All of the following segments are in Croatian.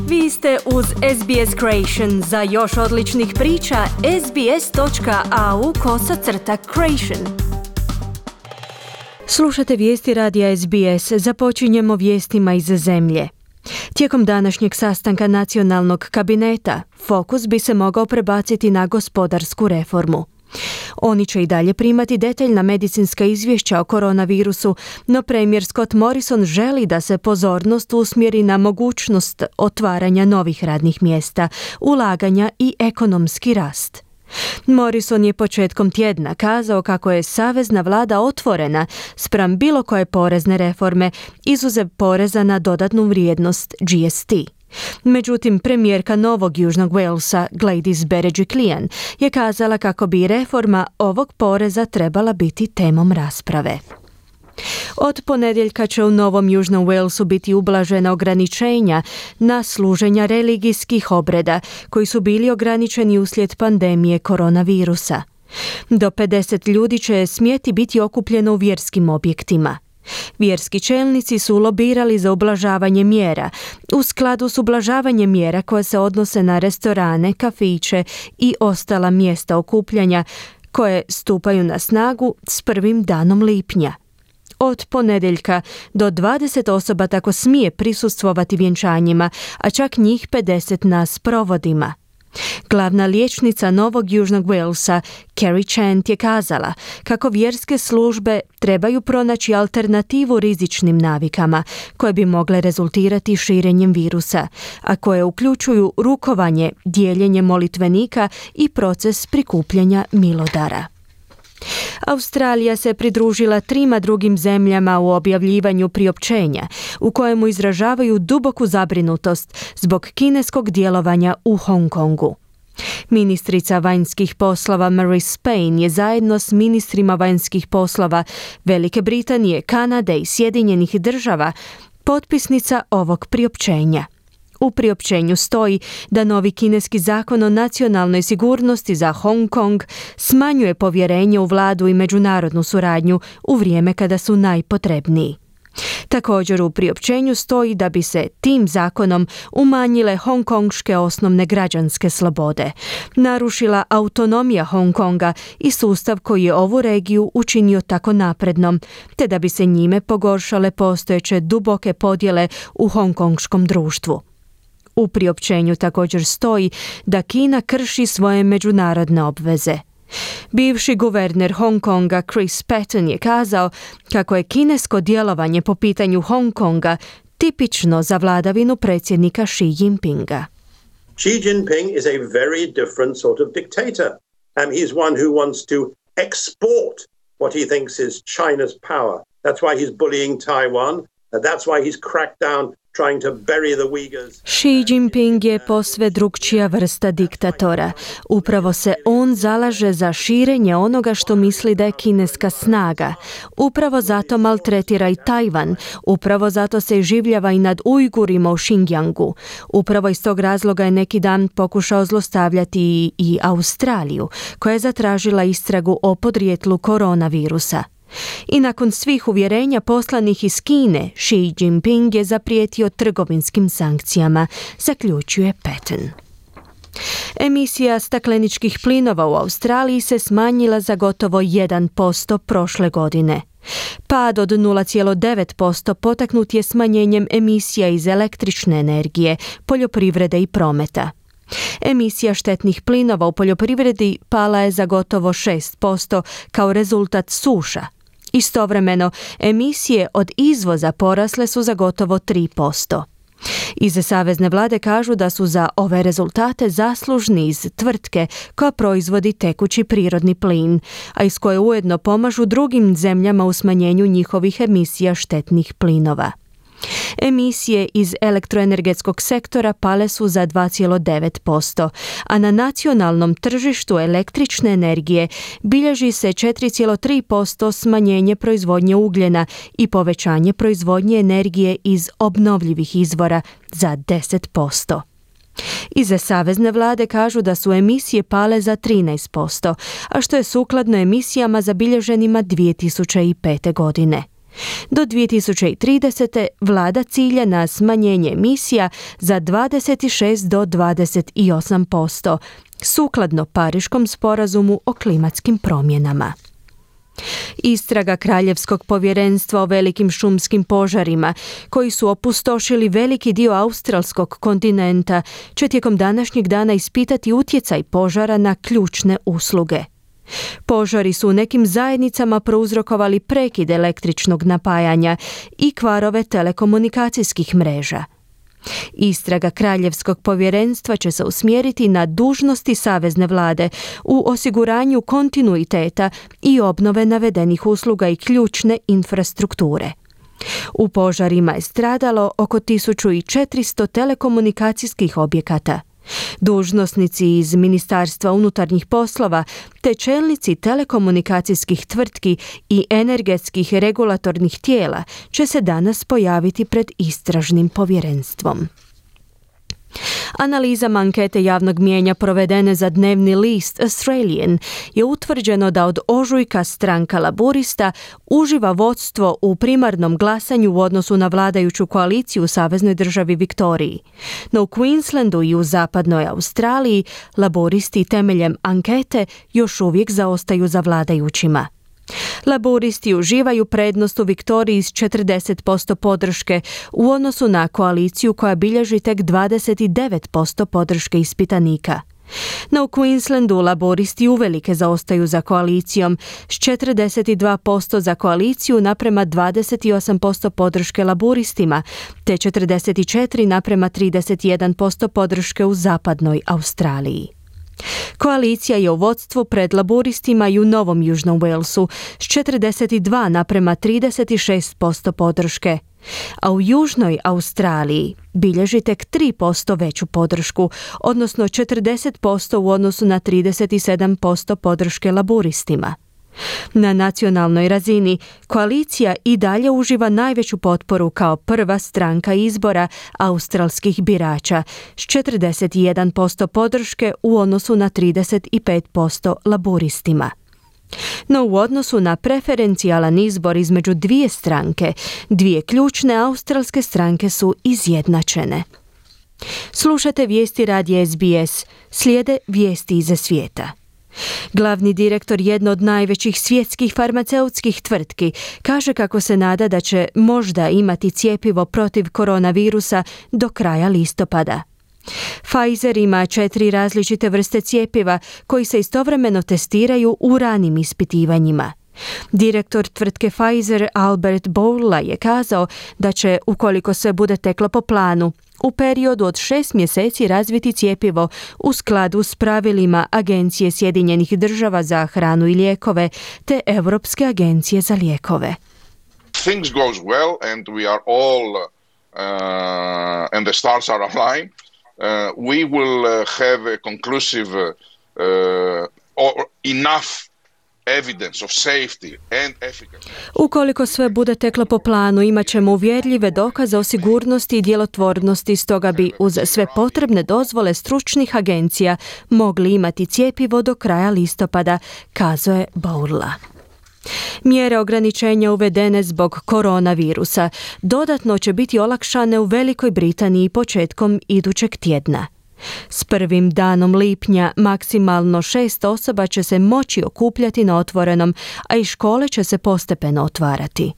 Vi ste uz SBS Creation. Za još odličnih priča, sbs.au/creation. Slušate vijesti radija SBS. Započinjemo vijestima iz zemlje. Tijekom današnjeg sastanka nacionalnog kabineta, fokus bi se mogao prebaciti na gospodarsku reformu. Oni će i dalje primati detaljna medicinska izvješća o koronavirusu, no premijer Scott Morrison želi da se pozornost usmjeri na mogućnost otvaranja novih radnih mjesta, ulaganja i ekonomski rast. Morrison je početkom tjedna kazao kako je savezna vlada otvorena spram bilo koje porezne reforme, izuzev poreza na dodatnu vrijednost GST. Međutim, premijerka Novog Južnog Walesa, Gladys Berejiklian, je kazala kako bi reforma ovog poreza trebala biti temom rasprave. Od ponedjeljka će u Novom Južnom Walesu biti ublažena ograničenja na služenja religijskih obreda koji su bili ograničeni uslijed pandemije koronavirusa. Do 50 ljudi će smjeti biti okupljeno u vjerskim objektima. Vjerski čelnici su lobirali za ublažavanje mjera, u skladu s ublažavanjem mjera koje se odnose na restorane, kafiće i ostala mjesta okupljanja koje stupaju na snagu s prvim danom lipnja. Od ponedjeljka do 20 osoba tako smije prisustvovati vjenčanjima, a čak njih 50 na sprovodima. Glavna liječnica Novog Južnog Walesa, Kerry Chant, je kazala kako vjerske službe trebaju pronaći alternativu rizičnim navikama koje bi mogle rezultirati širenjem virusa, a koje uključuju rukovanje, dijeljenje molitvenika i proces prikupljanja milodara. Australija se pridružila 3 drugim zemljama u objavljivanju priopćenja u kojemu izražavaju duboku zabrinutost zbog kineskog djelovanja u Hong Kongu. Ministrica vanjskih poslova Marise Payne je zajedno s ministrima vanjskih poslova Velike Britanije, Kanade i Sjedinjenih Država potpisnica ovog priopćenja. U priopćenju stoji da novi kineski zakon o nacionalnoj sigurnosti za Hong Kong smanjuje povjerenje u vladu i međunarodnu suradnju u vrijeme kada su najpotrebniji. Također u priopćenju stoji da bi se tim zakonom umanjile hongkonške osnovne građanske slobode, narušila autonomija Hong Konga i sustav koji je ovu regiju učinio tako naprednom, te da bi se njime pogoršale postojeće duboke podjele u hongkonškom društvu. U priopćenju također stoji da Kina krši svoje međunarodne obveze. Bivši guverner Hong Konga Chris Patten je kazao kako je kinesko djelovanje po pitanju Hong Konga tipično za vladavinu predsjednika Xi Jinpinga. Xi Jinping is a very different sort of dictator. He's one who wants to export what he thinks is China's power. That's why he's bullying Taiwan. That's why he's cracked down trying to bury the Uyghurs. Xi Jinping je posve drukčija vrsta diktatora. Upravo se on zalaže za širenje onoga što misli da je kineska snaga. Upravo zato maltretira i Tajvan. Upravo zato se življava i nad Ujgurima u Xinjiangu. Upravo iz tog razloga je neki dan pokušao zlostavljati i Australiju, koja je zatražila istragu o podrijetlu koronavirusa. I nakon svih uvjerenja poslanih iz Kine, Xi Jinping je zaprijetio trgovinskim sankcijama, zaključuje Patten. Emisija stakleničkih plinova u Australiji se smanjila za gotovo 1% prošle godine. Pad od 0,9% potaknut je smanjenjem emisija iz električne energije, poljoprivrede i prometa. Emisija štetnih plinova u poljoprivredi pala je za gotovo 6% kao rezultat suša. Istovremeno, emisije od izvoza porasle su za gotovo 3%. Iz savezne vlade kažu da su za ove rezultate zaslužni iz tvrtke koja proizvodi tekući prirodni plin, a iz koje ujedno pomažu drugim zemljama u smanjenju njihovih emisija štetnih plinova. Emisije iz elektroenergetskog sektora pale su za 2,9%, a na nacionalnom tržištu električne energije bilježi se 4,3% smanjenje proizvodnje ugljena i povećanje proizvodnje energije iz obnovljivih izvora za 10%. Iz savezne vlade kažu da su emisije pale za 13%, a što je sukladno emisijama zabilježenima 2005. godine. Do 2030. vlada cilja na smanjenje emisija za 26 do 28%, sukladno Pariškom sporazumu o klimatskim promjenama. Istraga Kraljevskog povjerenstva o velikim šumskim požarima, koji su opustošili veliki dio australskog kontinenta, će tijekom današnjeg dana ispitati utjecaj požara na ključne usluge. Požari su u nekim zajednicama prouzrokovali prekid električnog napajanja i kvarove telekomunikacijskih mreža. Istraga Kraljevskog povjerenstva će se usmjeriti na dužnosti savezne vlade u osiguranju kontinuiteta i obnove navedenih usluga i ključne infrastrukture. U požarima je stradalo oko 1400 telekomunikacijskih objekata. Dužnosnici iz Ministarstva unutarnjih poslova te čelnici telekomunikacijskih tvrtki i energetskih regulatornih tijela će se danas pojaviti pred istražnim povjerenstvom. Analizama ankete javnog mijenja provedene za dnevni list Australian je utvrđeno da od ožujka stranka Laburista uživa vodstvo u primarnom glasanju u odnosu na vladajuću koaliciju u saveznoj državi Viktoriji. No u Queenslandu i u zapadnoj Australiji Laburisti temeljem ankete još uvijek zaostaju za vladajućima. Laburisti uživaju prednost u Viktoriji s 40% podrške u odnosu na koaliciju koja bilježi tek 29% podrške ispitanika. No u Queenslandu Laburisti uvelike zaostaju za koalicijom s 42% za koaliciju naprema 28% podrške Laburistima te 44 naprema 31% podrške u zapadnoj Australiji. Koalicija je u vodstvu pred Laburistima i u Novom Južnom Walesu s 42 naprema 36% podrške, a u Južnoj Australiji bilježi tek 3% veću podršku, odnosno 40% u odnosu na 37% podrške Laburistima. Na nacionalnoj razini koalicija i dalje uživa najveću potporu kao prva stranka izbora australskih birača s 41% podrške u odnosu na 35% Laburistima. No u odnosu na preferencijalan izbor između dvije stranke, dvije ključne australske stranke su izjednačene. Slušate vijesti radija SBS, slijede vijesti iza svijeta. Glavni direktor jedne od najvećih svjetskih farmaceutskih tvrtki kaže kako se nada da će možda imati cjepivo protiv koronavirusa do kraja listopada. Pfizer ima 4 različite vrste cjepiva koji se istovremeno testiraju u ranim ispitivanjima. Direktor tvrtke Pfizer Albert Bourla je kazao da će, ukoliko sve bude teklo po planu, u periodu od 6 mjeseci razviti cjepivo u skladu s pravilima Agencije Sjedinjenih država za hranu i lijekove te Europske agencije za lijekove. Things goes well and we are all and the stars are aligned. We will have a conclusive or enough evidence of safety and efficacy. Ukoliko sve bude teklo po planu, imat ćemo uvjerljive dokaze o sigurnosti i djelotvornosti, stoga bi uz sve potrebne dozvole stručnih agencija mogli imati cjepivo do kraja listopada, kazao je Bourla. Mjere ograničenja uvedene zbog koronavirusa dodatno će biti olakšane u Velikoj Britaniji početkom idućeg tjedna. S prvim danom lipnja maksimalno 6 osoba će se moći okupljati na otvorenom, a i škole će se postepeno otvarati.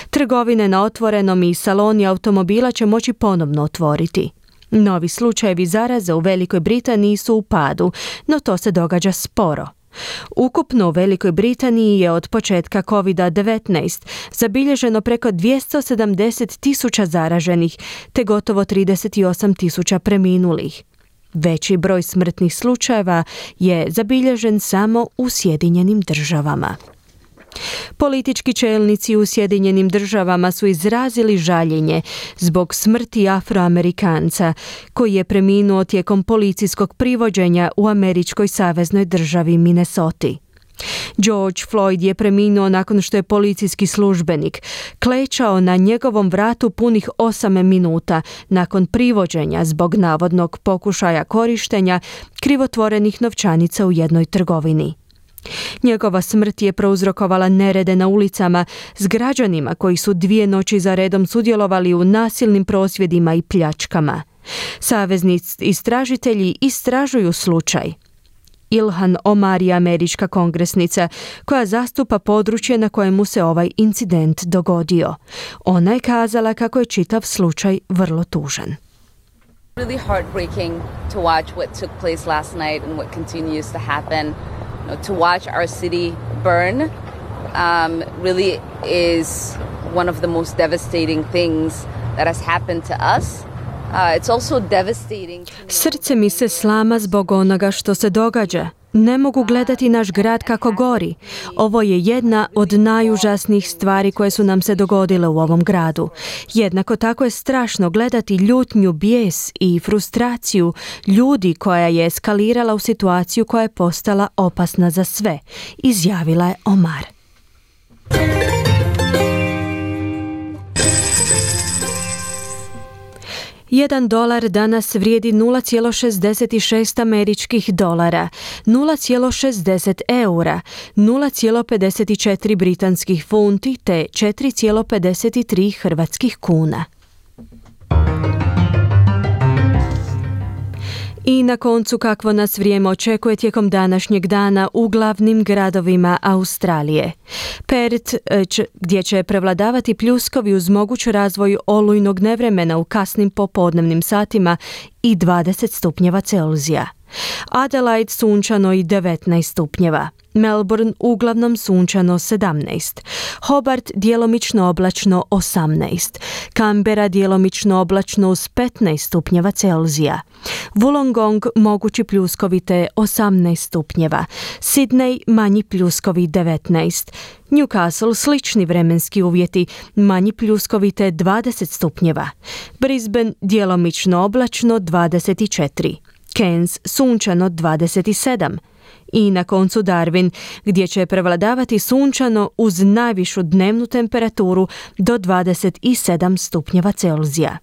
Trgovine na otvorenom i saloni automobila će moći ponovno otvoriti. Novi slučajevi zaraze u Velikoj Britaniji su u padu, no to se događa sporo. Ukupno u Velikoj Britaniji je od početka COVID-19 zabilježeno preko 270.000 zaraženih te gotovo 38.000 preminulih. Veći broj smrtnih slučajeva je zabilježen samo u Sjedinjenim državama. Politički čelnici u Sjedinjenim državama su izrazili žaljenje zbog smrti Afroamerikanca koji je preminuo tijekom policijskog privođenja u američkoj saveznoj državi Minnesoti. George Floyd je preminuo nakon što je policijski službenik klečao na njegovom vratu punih 8 minuta nakon privođenja zbog navodnog pokušaja korištenja krivotvorenih novčanica u jednoj trgovini. Njegova smrt je prouzrokovala nerede na ulicama s građanima koji su 2 noći za redom sudjelovali u nasilnim prosvjedima i pljačkama. Savezni istražitelji istražuju slučaj. Ilhan Omar je američka kongresnica koja zastupa područje na kojemu se ovaj incident dogodio. Ona je kazala kako je čitav slučaj vrlo tužan. Really heartbreaking to watch what took place last night and what continues to happen. To watch our city burn really is one of the most devastating things that has happened to us. It's also devastating. Srce mi se slama zbog onoga što se događa. Ne mogu gledati naš grad kako gori. Ovo je jedna od najužasnijih stvari koje su nam se dogodile u ovom gradu. Jednako tako je strašno gledati ljutnju, bijes i frustraciju ljudi koja je eskalirala u situaciju koja je postala opasna za sve, izjavila je Omar. $1 danas vrijedi 0,66 američkih dolara, 0,60 eura, 0,54 britanskih funti te 4,53 hrvatskih kuna. I na koncu kakvo nas vrijeme očekuje tijekom današnjeg dana u glavnim gradovima Australije. Perth, gdje će prevladavati pljuskovi uz moguć razvoj olujnog nevremena u kasnim popodnevnim satima i 20 stupnjeva Celzija. Adelaide sunčano i 19 stupnjeva. Melbourne uglavnom sunčano 17. Hobart djelomično oblačno 18. Canberra djelomično oblačno uz 15 stupnjeva Celzija. Wollongong mogući pljuskovi te 18 stupnjeva. Sydney manji pljuskovi 19. Newcastle slični vremenski uvjeti, manji pljuskovi te 20 stupnjeva. Brisbane djelomično oblačno 24. Cairns sunčano 27. I na koncu Darwin, gdje će prevladavati sunčano uz najvišu dnevnu temperaturu do 27 stupnjeva Celzija.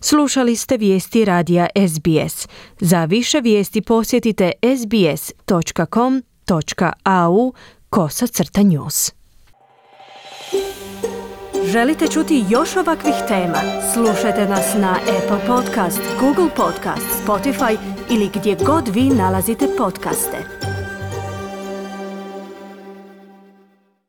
Slušali ste vijesti radija SBS. Za više vijesti posjetite sbs.com.au/news. Želite čuti još ovakvih tema? Slušajte nas na Apple Podcast, Google Podcast, Spotify ili gdje god vi nalazite podcaste.